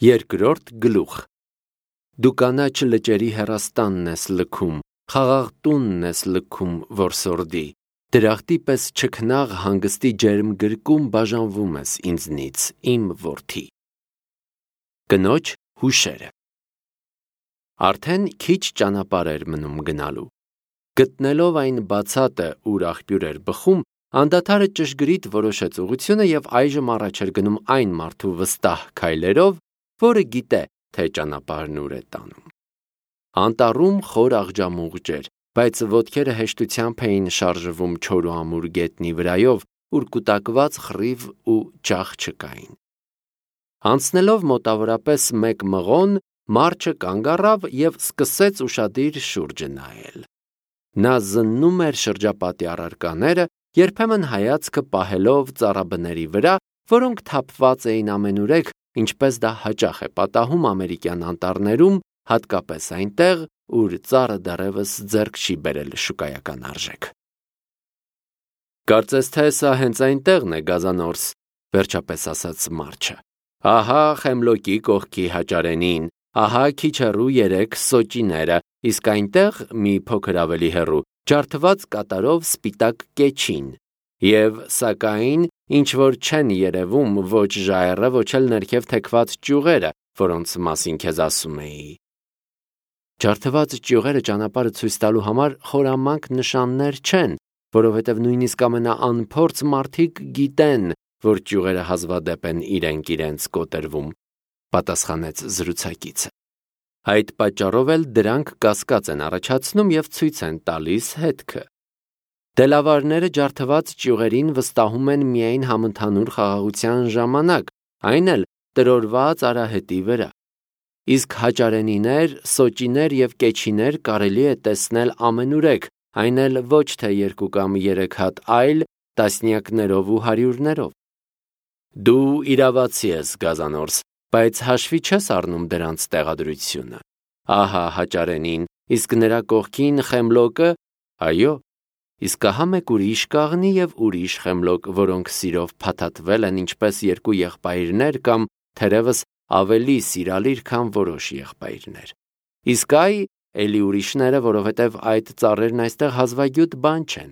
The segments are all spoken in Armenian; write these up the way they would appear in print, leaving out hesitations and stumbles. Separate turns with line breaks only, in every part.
Երկրորդ գլուխ։ Դու կանաչ լճերի հեռաստանն ես լքում, խաղաղ տունն ես լքում, որսորդի, դրախտի պես չքնաղ հանգստի ջերմ գրկում բաժանվում ես ինձնից, իմ որդի։ Կնոջ հուշերը։ Արդեն քիչ ճանապարհ էր մնում գնալու։ Գտնելով այն բացատը, ուր աղբյուր էր բխում, անդադարը ճշգրիտ որոշեց ուղղությունը և այժմ առաջ էր գնում այն մարդու վստահ քայլերով, որը գիտե, թե ճանապարհն ուր է տանում։ Անտառում խոր աղջամուղջ էր, բայց ոտքերը հեշտությամբ էին շարժվում չոր ու ամուր գետնի վրայով, ուր կուտակված խռիվ ու ջախ չկային։ Անցնելով մոտավորապես 1 մղոն, մարդ կանգ առավ և սկսեց ուշադիր շուրջը նայել։ Նա զննում էր շրջապատի առարկաները, երբեմն հայացքը պահելով ծառաբների վրա, որոնք թափված էին ամենուրեք, ինչպես դա հաճախ է պատահում ամերիկյան անտառներում, հատկապես այնտեղ, ուր ծառը դեռևս ձեռք չի բերել շուկայական արժեք։ Կարծես թե սա հենց այնտեղն է, Գազանորս, վերջապես ասաց Մարչը։ Ահա Խեմլոկի կողքի հաճարենին, ահա քիչ հեռու 3 սոճիները, իսկ այնտեղ մի փոքր ավելի հեռու ջարդված կատարով սպիտակ կեչին, և սակայն ինչ որ չեն երևում ոչ ժայռը, ոչ էլ ներքև թեքված ճյուղերը, որոնց մասին քեզ ասում էի։ Ջարդված ճյուղերը ճանապարհը ցույց տալու համար խորամանկ նշաններ չեն, որովհետև նույնիսկ ամենաանփորձ մարդիկ գիտեն, որ ճյուղերը հազվադեպ են իրենք կոտրվում, պատասխանեց զրուցակիցը։ Այդ պատճառով էլ դրանք կասկած են առաջացնում և ցույց են տալիս հետքը։ Դելավարները ջարդված ճյուղերին վստահում են միայն համընդհանուր խաղաղության ժամանակ, այն էլ տրորված արահետի վրա։ Իսկ հաճարենիներ, սոճիներ և կեչիներ կարելի է տեսնել ամենուրեք, այն էլ ոչ թե 2 կամ 3 հատ, այլ տասնյակներով ու հարյուրներով։ Դու իրավացի ես, Գազանորս, բայց հաշվի չես առնում դրանց տեղադրությունը։ Ահա հաճարենին, իսկ նրա կողքին Խեմլոկը, այո, իսկ ահա մեկ ուրիշ կաղնի և ուրիշ Խեմլոկ, որոնք սիրով փաթաթվել են ինչպես 2 եղբայրներ կամ թերևս ավելի սիրալիր, քան որոշ եղբայրներ։ Իսկ այ էլի ուրիշները, որովհետև այդ ծառերն այստեղ հազվագյուտ բան չեն։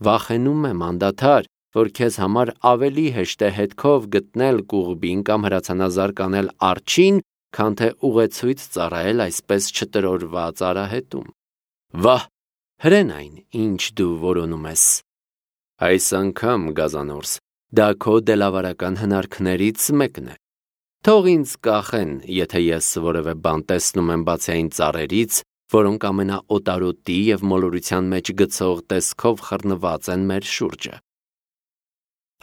Վախենում եմ անդադար, որ քեզ համար ավելի հեշտ է հետքով գտնել կուղբին կամ հրացանազարկ անել արջին, քան թե ուղեցույց ծառայել այսպես չտրորված արահետում։ Վահ, հրեն այն, ինչ դու որոնում ես։ Այս անգամ, Գազանորս, դա քո դելավարական հնարքներից մեկն է։ Թող ինձ կախեն, եթե ես որևէ բան տեսնում եմ բացի այն ծառերից, որոնք ամենաօտարոտի և մոլորության մեջ գցող տեսքով խռնված են մեր շուրջը։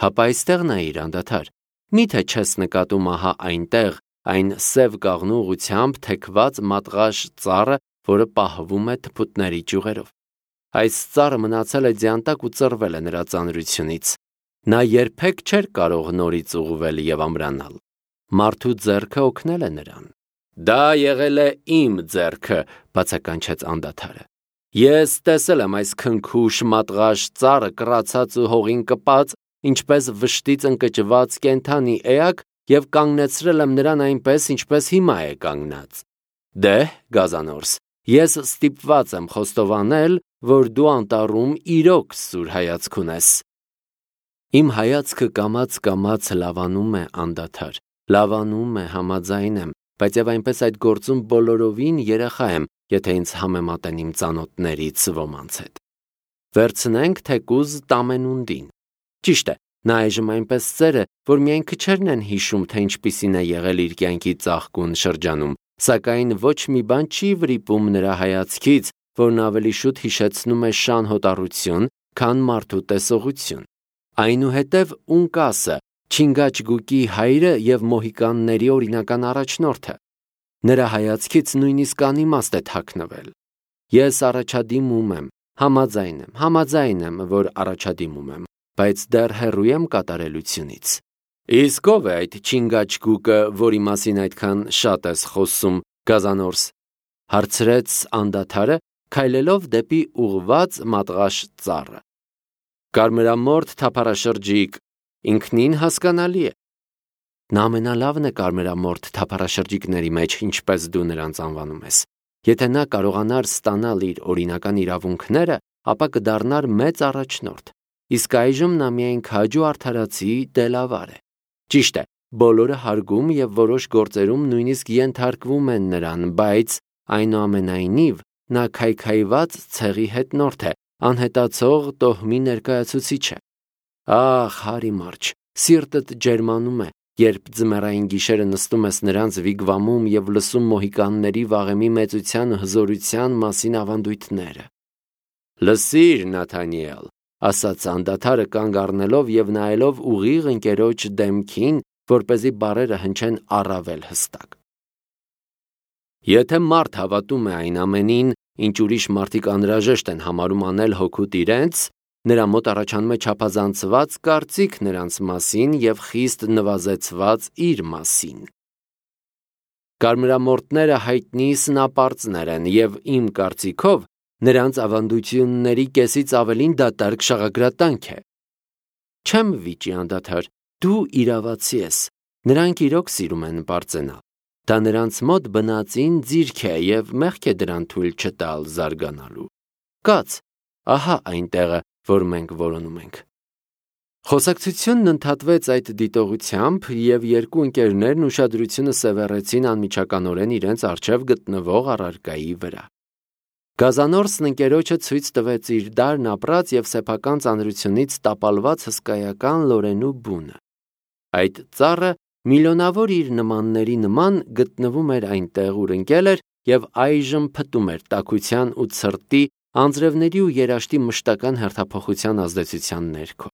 Հապա այստեղ նայիր անդադար, միթե չես նկատում ահա այնտեղ, այն սև կաղնու ուղղությամբ թեքված մատղաշ ծառը, որը պահվում է թփուտների ճյուղերով։ Այս ծառը մնացել է ձյանտակ ու ծռվել է նրա ծանրությունից։ Նա երբեք չէր կարող նորից ուղղվել և ամրանալ։ Մարդու ձեռքը օգնել է նրան։ Դա եղել է իմ ձեռքը, բացականչեց անդադարը։ Ես տեսել եմ այս քնքուշ մատղաշ ծառը կռացած ու հողին կպած, ինչպես վշտից ընկճված կենդանի էակ և կանգնեցրել եմ նրան այնպես, ինչպես հիմա է կանգնած։ Դե, Գազանորս, ես ստիպված եմ խոստովանել, որ դու անտառում իրոք սուր հայացք ունես։ Իմ հայացքը կամաց լավանում է անդադար, լավանում է, համաձայն եմ, բայց և այնպես այդ գործում բոլորովին երեխա եմ, եթե ինձ համեմատեն իմ ծանոթներից ոմանց հետ։ Վերցնենք թեկուզ Տամենունդին։ Ճիշտ է, նա այժմ այնպես ծեր է, որ միայն քչերն են հիշում, թե ինչպիսին է եղել իր կյանքի ծաղկուն շրջանում, սակայն ոչ մի բան չի վրիպում նրա հայացքից, որն ավելի շուտ հիշեցնում է շան հոտառություն, քան մարդու տեսողություն։ Այնուհետև Ունկասը, Չինգաչգուկի հայրը և մոհիկանների օրինական առաջնորդը։ Նրա հայացքից նույնիսկ անիմաստ է թաքնվել։ Ես առաջադիմում եմ, համաձայն եմ, որ առաջադիմում եմ, բայց դեռ հեռու եմ կատարելությունից։ Իսկ ով է այդ Չինգաչգուկը, որի մասին այդքան շատ ես խոսում, Գազանորս, հարցրեց անդադարը, քայլելով դեպի ուղղված մատղաշ ծառը։ Կարմրամորթ թափառաշրջիկ, ինքնին հասկանալի է։ Նա ամենալավն է կարմրամորթ թափառաշրջիկների մեջ, ինչպես դու նրանց անվանում ես։ Եթե նա կարողանար ստանալ իր օրինական իրավունքները, ապա կդառնար մեծ առաջնորդ։ Իսկ այժմ նա միայն քաջու արդարացի դելավար է։ Ճիշտ է, բոլորը հարգում եւ որոշ գործերում նույնիսկ ենթարկվում են նրան, բայց այնուամենայնիվ նա քայքայված ցեղի հետնորդ է, անհետացող տոհմի ներկայացուցիչ է։ Ահ, Հարի Մարչ, սիրտդ ջերմանում է, երբ ձմեռային գիշերը նստում ես նրանց վիգվամում եւ լսում մոհիկանների վաղեմի մեծության ու հզորության մասին ավանդույթները։ Լսիր, Նաթանիել, ասաց անդադարը կանգ առնելով եւ նայելով ուղիղ ընկերոջ դեմքին, որպեսզի բառերը հնչեն առավել հստակ։ Եթե մարդ հավատում է այն ամենին, ինչ ուրիշ մարդիկ անհրաժեշտ են համարում անել հոգուտ իրենց, նրա մոտ առաջանում է չափազանցված կարծիք նրանց մասին եւ խիստ նվազեցված իր մասին։ Կարմրամորթները հայտնի սնապարծներ են եւ իմ կարծիքով նրանց ավանդությունների կեսից ավելին դատարկ շաղագրատանք է։ Չեմ վիճի անդադար, դու իրավացի ես, նրանք իրոք սիրում են պարծենալ։ Դա նրանց մոտ բնածին ձիրք է եւ մեղք է դրան թույլ չտալ զարգանալու։ Կաց, ահա այն տեղը, որ մենք որոնում ենք։ Խոսակցությունն ընդհատվեց այդ դիտողությամբ եւ երկու ընկերներն ուշադրությունը սևեռեցին անմիջականորեն իրենց առջև գտնվող առարկայի վրա։ Գազանորսն ընկերոջը ցույց տվեց իր դարն ապրած եւ սեփական ծանրությունից տապալված հսկայական լորենու բունը։ Այդ ծառը միլիոնավոր իր նմանների նման գտնվում էր այնտեղ, ուր ընկել էր եւ այժմ փտում էր տաքության ու ցրտի, անձրևների ու երաշտի մշտական հերթափոխության ազդեցության ներքո։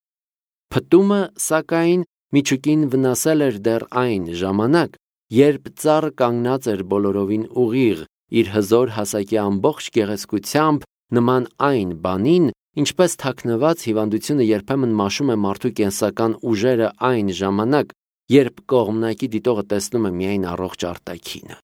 Փտումը, սակայն, միջուկին վնասել էր դեռ այն ժամանակ, երբ ծառը կանգնած էր բոլորովին ուղիղ, իր հզոր հասակի ամբողջ գեղեցկությամբ նման այն բանին, ինչպես թաքնված հիվանդությունը երբեմն մաշում է մարդու կենսական ուժերը այն ժամանակ, երբ կողմնակի դիտողը տեսնում է միայն առողջ արտաքինը։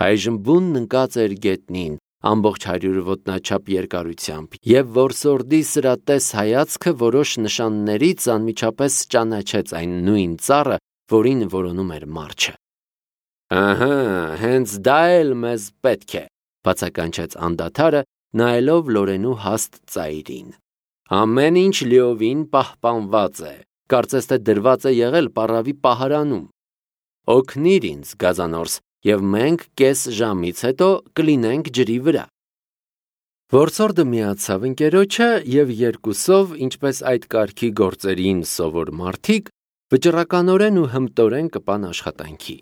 Այժմ բունն ընկած էր գետնին, ամբողջ 100 ոտնաչափ երկարությամբ, եւ որսորդի սրատես հայացքը որոշ նշաններից անմիջապես ճանաչեց այն նույն ծառը, որին որոնում էր Մարչը։ Ահա, հենց դա էլ մեզ պետք է, բացականչեց անդադարը, նայելով լորենու հաստ ծայրին։ Ամեն ինչ լիովին պահպանված է, կարծես թե դրված է եղել պառավի պահարանում։ Օգնիր ինձ, Գազանորս, եւ մենք կես ժամից հետո կլինենք ջրի վրա։ Որսորդը միացավ ընկերոջը եւ երկուսով, ինչպես այդ կարգի գործերին սովոր մարդիկ, վճռականորեն ու հմտորեն կպան աշխատանքի։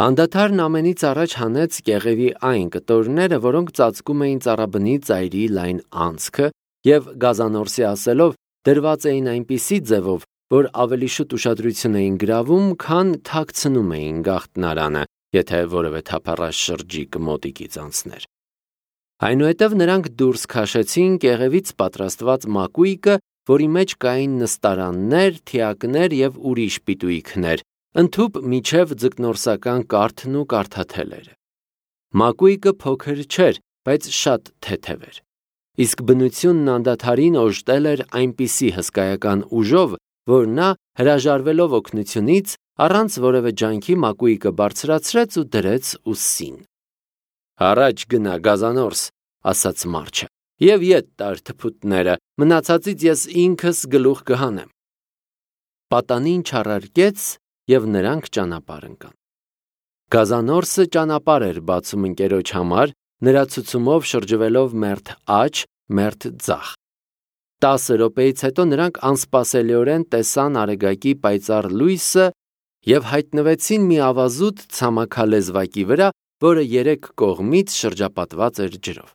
Անդադարն ամենից առաջ հանեց կեղևի այն կտորները, որոնք ծածկում էին ծառաբնի ծայրի լայն անցքը եւ Գազանորսի ասելով դրված էին այնպիսի ձևով, որ ավելի շուտ ուշադրություն էին գրավում, քան թաքցնում էին գաղտնարանը, եթե որևէ թափառաշրջիկ մոտիկից անցներ։ Այնուհետև նրանք դուրս քաշեցին կեղևից պատրաստված մակույկը, որի մեջ կային նստարաններ, թիակներ եւ ուրիշ պիտույքներ, ընդհուպ միջև ձկնորսական կարթն ու կարթաթելերը։ Մակույկը փոքր չէր, բայց շատ թեթև էր։ Իսկ բնությունն անդադարին օժտել էր այնպիսի հսկայական ուժով, որ նա, հրաժարվելով օգնությունից, առանց որևէ ջանքի մակույկը բարձրացրեց ու դրեց ուսին։ Առաջ գնա, Գազանորս, ասաց Մարչը, եւ ետ տար թփուտները, մնացածից ես ինքս գլուխ կհանեմ։ Պատանին չառարկեց եւ նրանք ճանապարհ ընկան։ Գազանորսը ճանապարհ էր բացում ընկերոջ համար, նրա ցուցումով շրջվելով մերթ աջ, մերթ ձախ։ 10 րոպեից հետո նրանք անսպասելիորեն տեսան արեգակի պայծառ լույսը եւ հայտնվեցին մի ավազուտ ցամաքալեզվակի վրա, որը 3 կողմից շրջապատված էր ջրով։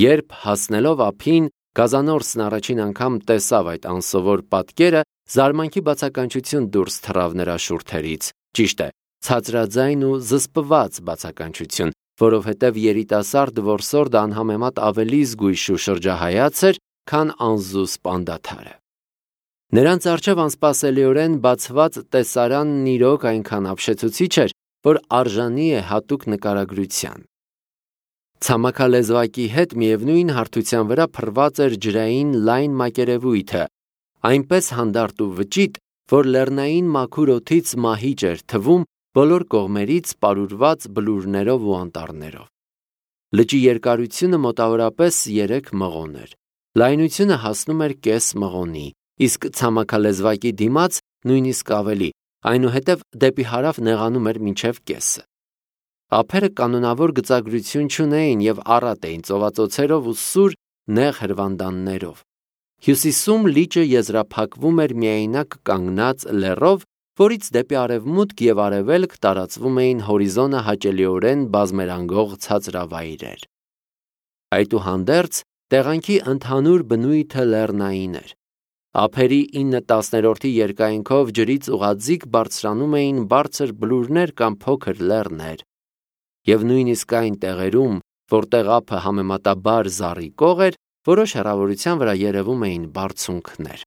Երբ հասնելով ափին, Գազանորսն առաջին անգամ տեսավ այդ անսովոր պատկերը, զարմանքի բացականչություն դուրս թռավ նրա շուրթերից։ Ճիշտ է, ցածրաձայն ու զսպված բացականչություն, որովհետև երիտասարդ որսորդը անհամեմատ ավելի զգույշ ու շրջահայաց էր, քան անզուսպ անդադարը։ Նրանց առջև անսպասելիորեն բացված տեսարանն իրոք այնքան ապշեցուցիչ էր, որ արժանի է հատուկ նկարագրության։ Ցամաքալեզվակի հետ միևնույն հարթության վրա փռված էր ջրային լայն մակերևույթը, այնպես հանդարտ ու վճիտ, որ լեռնային մաքուր օդից մահիճ էր թվում բոլոր կողմերից պարուրված բլուրներով ու անտառներով։ Լճի երկարությունը մոտավորապես 3 մղոն էր։ Լայնությունը հասնում էր կես մղոնի, իսկ ցամաքալեզվակի դիմաց նույնիսկ ավելի, այնուհետև դեպի հարավ նեղանում էր մինչև կեսը։ Ափերը կանոնավոր գծագրություն չունեին և առատ էին ծովածոցերով ու սուր նեղ հրվանդաններով։ Հյուսիսում լիճը եզրափակվում էր միայնակ կանգնած լեռով, որից դեպի արևմուտք և արևելք տարածվում էին հորիզոնը հաճելիորեն բազմերանգող ցածրավայրեր։ Այդուհանդերձ, տեղանքի ընդհանուր բնույթը լեռնային էր։ Ափերի 9/10 երկայնքով ջրից ուղղաձիգ բարձրանում էին բարձր բլուրներ կամ փոքր լեռներ, և նույնիսկ այն տեղերում, որտեղ ափը համեմատաբար զառիկող էր, որոշ հեռավորության վրա երևում էին բարձունքներ։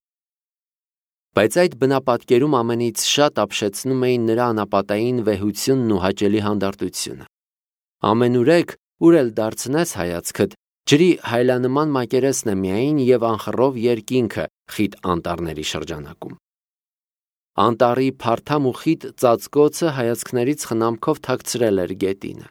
Բայց այդ բնապատկերում ամենից շատ ապշեցնում էին նրա անապատային վեհությունն ու հաճելի հանդարտությունը։ Ամենուրեք, ուր էլ դարձնես հայացքդ, ջրի հայլանման մակերեսն է միայն և անխռով երկինքը խիտ անտառների շրջանակում։ Անտառի փարթամ ու խիտ ծածկոցը հայացքներից խնամքով թաքցրել էր գետինը։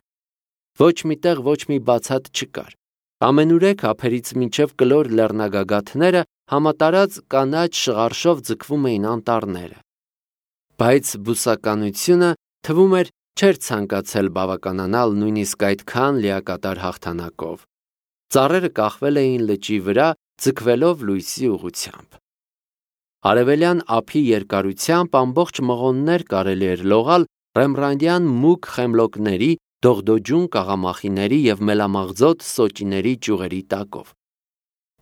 Ոչ մի տեղ ոչ մի բացատ չկար։ Ամենուրեք ափերից մինչև կլոր լեռնագագաթները համատարած կանաչ շղարշով ձգվում էին անտառները։ Բայց բուսականությունը, թվում էր, չէր ցանկացել բավականանալ նույնիսկ այդքան լիակատար հաղթանակով։ Ծառերը կախվել էին լճի վրա, ձգվելով լույսի ուղղությամբ։ Արևելյան ափի երկարությամբ ամբողջ մղոններ կարելի էր լողալ ռեմբրանդյան մուգ խեմլոկների, դողդոջուն կաղամախիների և մելամաղձոտ սոճիների ճյուղերի տակով։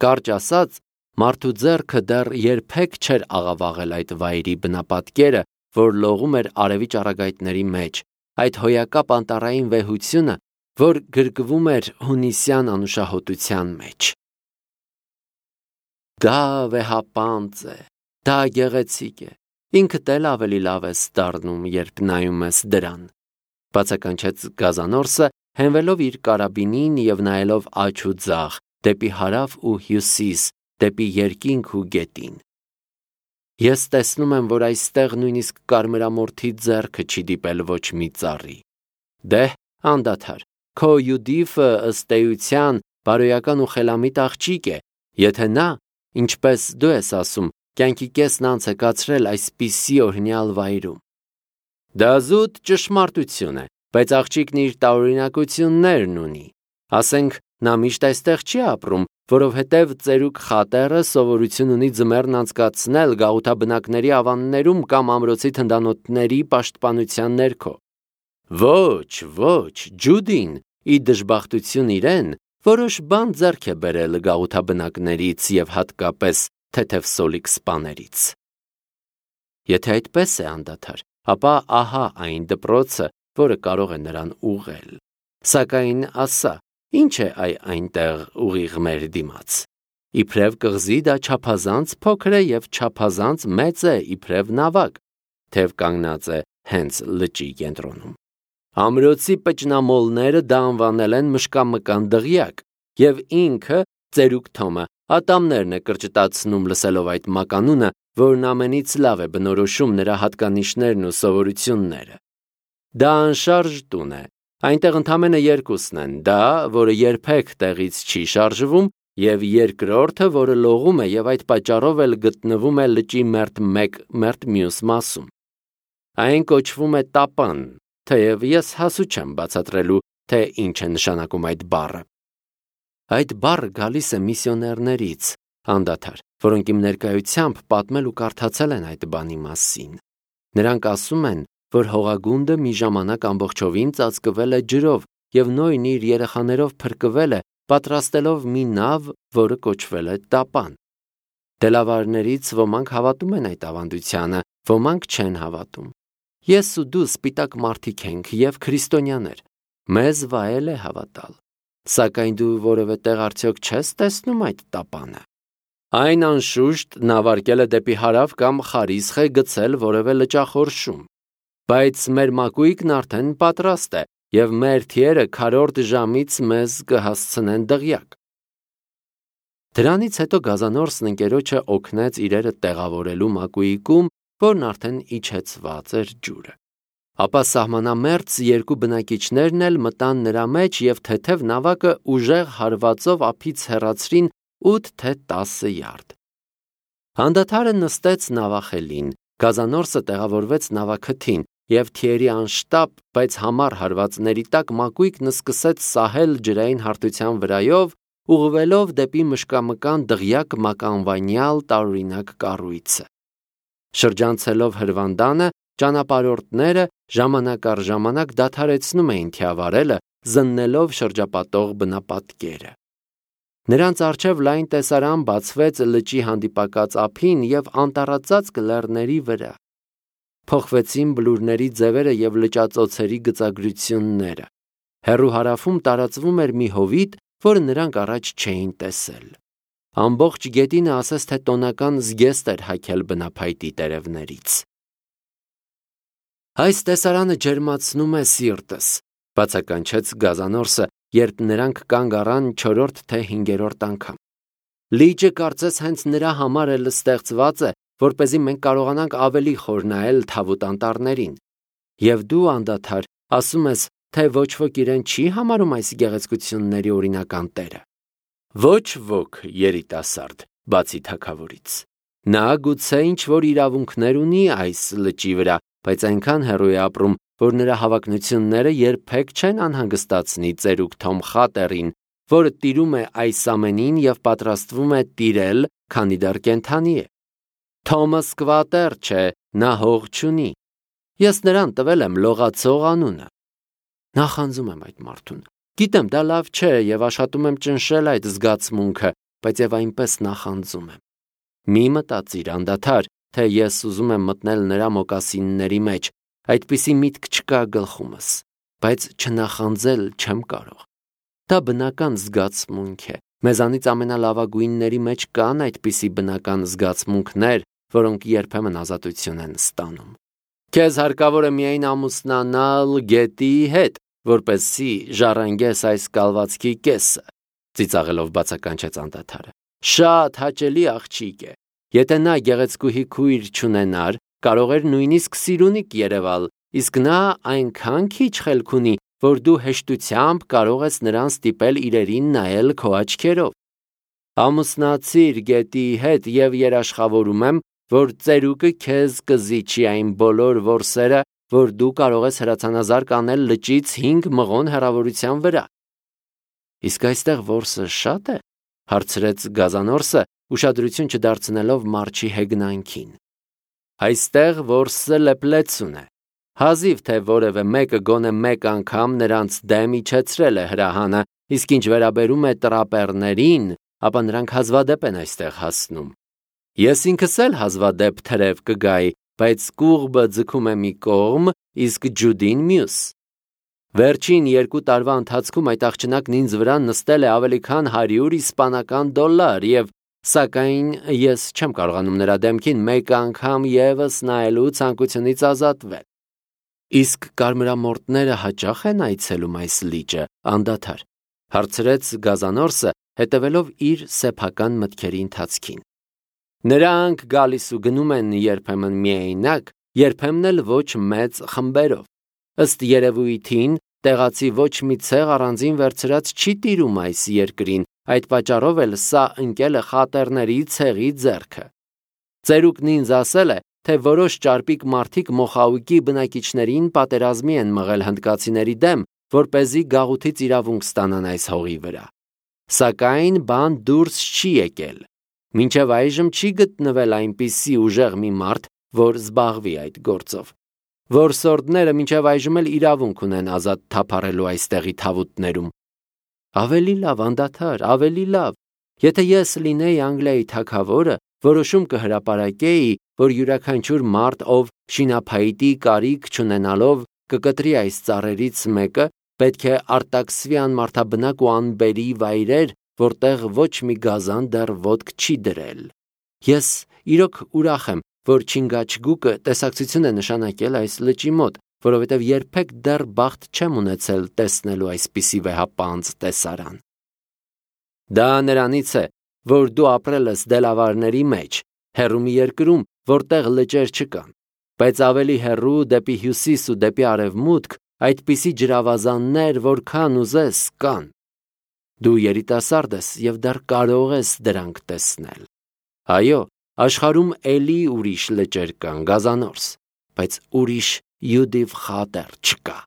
Կարճ ասած, մարդու ձեռքը դեռ երբեք չէր աղավաղել այդ վայրի բնապատկերը, որ լողում էր արևի ճառագայթների մեջ, այդ հոյակապ անտառային վեհությունը, որ գրկվում էր հունիսյան անուշահոտության մեջ։ Դա վեհապանծ է, դա գեղեցիկ է, ինքդ էլ ավելի լավ ես դառնում, երբ նայում ես դրան, բացականչեց Գազանորսը, հենվելով իր կարաբինին և նայելով աջ ու ձախ, դեպի հարավ ու հյուսիս, դեպի երկինք ու գետին։ Ես տեսնում եմ, որ այստեղ նույնիսկ կարմրամորթի ձեռքը չի դիպել ոչ մի ծառի։ Դե, անդադար, քո Յուդիֆը ըստ էության բարոյական ու խելամիտ աղջիկ է, եթե նա, ինչպես դու ես ասում, կյանքի կեսն անց է կացրել այսպիսի օրհնյալ վայրում։ Դա զուտ ճշմարտություն է, բայց աղջիկն իր տարօրինակություններն ունի։ Ասենք, նա միշտ այստեղ չի ապրում, որովհետև ծերուկ խատերը սովորություն ունի ձմեռն անցկացնել գաղութաբնակների ավաններում կամ ամրոցի թնդանոթների պաշտպանության ներքո։ Ոչ, Ջուդին, ի դժբախտություն իրեն, որոշ բան ձեռք է բերել գաղութաբնակներից և հատկապես թեթևսոլիկ սպաներից։ Եթե այդպես է անդադար, ապա ահա այն դպրոցը, որը կարող է նրան ուղղել։ Սակայն ասա, ինչ է այնտեղ ուղիղ մեր դիմաց։ Իբրև կղզի դա չափազանց փոքր է և չափազանց մեծ է իբրև նավակ, թեև կանգնած է հենց լճի կենտրոնում։ Ամրոցի պճնամոլները դա անվանել են մշկամկան դղյակ, և ինքը, ծերուկ Թոմը, ատամներն է կրճտացնում լսելով այդ մականունը, որն ամենից լավ է բնորոշում նրա հատկանիշներն ու սովորությունները։ Դա անշարժ տուն է, այնտեղ ընդամենը երկուսն են, դա, որը երբեք տեղից չի շարժվում, և երկրորդը, որը լողում է և այդ պատճառով էլ գտնվում է լճի մերթ մեկ, մերթ մյուս մասում։ Այն կոչվում է տապան, թեև ես հասու չեմ բացատրելու, թե ինչ է նշանակում այդ բառը։ Այդ բառը գալիս է միսիոներներից, անդադար, որոնք իմ ներկայությամբ պատմել ու կարդացել են այդ բանի մասին։ Նրանք ասում են, որ հողագունդը մի ժամանակ ամբողջովին ծածկվել է ջրով և Նոյն իր երեխաներով փրկվել է, պատրաստելով մի նավ, որը կոչվել է տապան։ Դելավարներից ոմանք հավատում են այդ ավանդությանը, ոմանք չեն հավատում։ Ես ու դու սպիտակ մարդիկ ենք և քրիստոնյաներ, մեզ վայել է հավատալ։ Սակայն դու որևէ տեղ արդյոք չես տեսնում այդ տապանը։ Այն անշուշտ նավարկել է դեպի հարավ կամ Խարիսխ է գցել որևէ լճախորշում։ Բայց մեր մակույկն արդեն պատրաստ է, և մեր թիերը քառորդ ժամից մեզ կհասցնեն դղյակ։ Դրանից հետո Գազանորսն ընկերոջը օգնեց իրերը տեղավորելու մակույկում, որն արդեն իջեցված էր ջուրը։ Ապա սահմանամերձ երկու բնակիչներն էլ մտան նրա մեջ և թեթև նավակը ուժեղ հարվածով ափից հեռացրին 8 թե 10 յարդ։ Հանդադարը նստեց նավախելին, գազանորսը տեղավորվեց նավաքթին և թիերի անշտապ, բայց համառ հարվածների տակ մակույկն սկսեց սահել ջրային հարթության վրայով, ուղղվելով դեպի մշկամկան դղյակ մականվանյալ տարօրինակ կառույցը։ Շրջանցելով հրվանդանը, ճանապարհորդները ժամանակ առ ժամանակ դադարեցնում էին թիավարելը, զննելով շրջապատող բնապատկերը։ Նրանց առջև լայն տեսարան բացվեց լճի հանդիպակաց ափին և անտառածածկ լեռների վրա։ Փոխվեցին բլուրների ձևերը և լճածոցերի գծագրությունները։ Հեռու հարավում տարածվում էր մի հովիտ, որը նրանք առաջ չէին տեսել։ Ամբողջ գետինը ասես թե տոնական զգեստ էր հագել բնափայտի տերևներից։ Այս տեսարանը ջերմացնում է սիրտս, բացականչեց գազանորսը, երբ նրանք կանգ առան 4-րդ թե 5-րդ անգամ։ Լիճը կարծես հենց նրա համար էլ ստեղծված է, որպեսզի մենք կարողանանք ավելի խոր նայել թավուտ անտառներին։ Եվ դու անդադար ասում ես, թե ոչ ոք իրեն չի համարում այս գեղեցկությունների օրինական տերը։ Ոչ ոք, երիտասարդ, բացի թագավորից։ Նա գուցե ինչ-որ իրավունքներ ունի այս լճի վրա, բայց այնքան հեռու է ապրում, որ նրա հավակնությունները երբեք չեն անհանգստացնի ծերուկ Թոմ Խատերին, որը տիրում է այս ամենին և պատրաստվում է տիրել, քանի դեռ կենդանի է։ Թոմը սկվատեր չէ, նա հող չունի։ Ես նրան տվել եմ լողացող անունը։ Նախանձում եմ այդ մարդուն։ Գիտեմ, դա լավ չէ և աշխատում եմ ճնշել այդ զգացմունքը, բայց և այնպես նախանձում եմ։ Մի մտածիր անդադար, թե ես ուզում եմ մտնել նրա մոկասինների մեջ, այդպիսի միտք չկա գլխումս, բայց չնախանձել չեմ կարող։ Դա բնական զգացմունք է։ Մեզանից ամենալավագույնների մեջ կան այդպիսի բնական զգացմունքներ, որոնք երբեմն ազատություն են ստանում։ Քեզ հարկավոր է միայն ամուսնանալ գետի հետ, որպեսզի ժառանգես այս կալվածքի կեսը, ծիծաղելով բացականչեց անդադարը։ Շատ հաճելի աղջիկ է։ Եթե նա գեղեցկուհի քույր չունենար, կարող էր նույնիսկ սիրունիկ երևալ, իսկ նա այնքան քիչ խելք ունի, որ դու հեշտությամբ կարող ես նրան ստիպել իրերին նայել քո աչքերով։ Ամուսնացիր գետի հետ և երաշխավորում եմ, որ ծերուկը քեզ կզիջի այն բոլոր որսերը, որ դու կարող ես հրացանազարկ անել լճից 5 մղոն հեռավորության վրա։ Իսկ այստեղ որսը շատ է, հարցրեց գազանորսը, ուշադրություն չդարձնելով մարչի հեգնանքին։ Այստեղ որսը լեփլեցուն է։ Հազիվ թե որևէ մեկը գոնե մեկ անգամ նրանց դեմ իջեցրել է հրահանը, իսկ ինչ վերաբերում է տրապեռներին, ապա նրանք հազվադեպ են այստեղ հասնում։ Ես ինքս էլ հազվադեպ թրև կգայի, բայց կուղբը ձգում է մի կողմ, իսկ ջուդին մյուս։ Վերջին 2 տարվա ընթացքում այդ աղջնակն ինձ վրա նստել է ավելի քան 100 իսպանական դոլար և, սակայն ես չեմ կարողանում նրա դեմքին մեկ անգամ ևս նայելու ցանկությունից ազատվել։ Իսկ կարմրամորթները հաճախ են այցելում այս լիճը, անդադար, հարցրեց գազանորսը, հետևելով իր սեփական մտքերի ընթացքին։ Նրանք գալիս ու գնում են երբեմն միայնակ, երբեմն էլ ոչ մեծ խմբերով։ Ըստ երևույթին, տեղացի ոչ մի ցեղ առանձին վերցրած չի տիրում այս երկրին, այդ պատճառով էլ սա ընկել է խատերների ցեղի ձեռքը։ Ծերուկն ինձ ասել է, թե որոշ ճարպիկ մարդիկ Մոխաուկի բնակիչներին պատերազմի են մղել հնդկացիների դեմ, որպեսզի գաղութից իրավունք ստանան այս հողի վրա։ Սակայն բան դուրս չի եկել։ Մինչև այժմ չի գտնվել այնպիսի ուժեղ մի մարդ, որ զբաղվի այդ գործով։ Որսորդները մինչև այժմ էլ իրավունք ունեն ազատ թափառելու այստեղի թավուտներում։ Ավելի լավ, անդադար, ավելի լավ։ Եթե ես լինեի Անգլիայի թագավորը, որոշում կհրապարակեի, որ յուրաքանչյուր մարդ, ով շինափայտի կարիք չունենալով կկտրի այս ծառերից մեկը, պետք է արտաքսվի անմարդաբնակ ու անբերի վայրեր, որտեղ ոչ մի գազան դեռ ոտք չի դրել։ Ես իրոք ուրախ եմ, որ Չինգաչգուկը տեսակցություն է նշանակել այս լճի մոտ, որովհետև երբեք դեռ բախտ չեմ ունեցել տեսնելու այսպիսի վեհապանծ տեսարան։ Դա նրանից է, որ դու ապրել ես դելավարների մեջ, հեռու մի երկրում, որտեղ լճեր չկան, բայց ավելի հեռու դեպի հյուսիս ու դեպի արևմուտք այդպիսի ջրավազաններ, որքան ուզես, կան։ Դու երիտասարդ ես և դեռ կարող ես դրանք տեսնել։ Այո, աշխարհում էլի ուրիշ լճեր կան, Գազանորս, բայց ուրիշ Յուդիվ Խատեր չկա։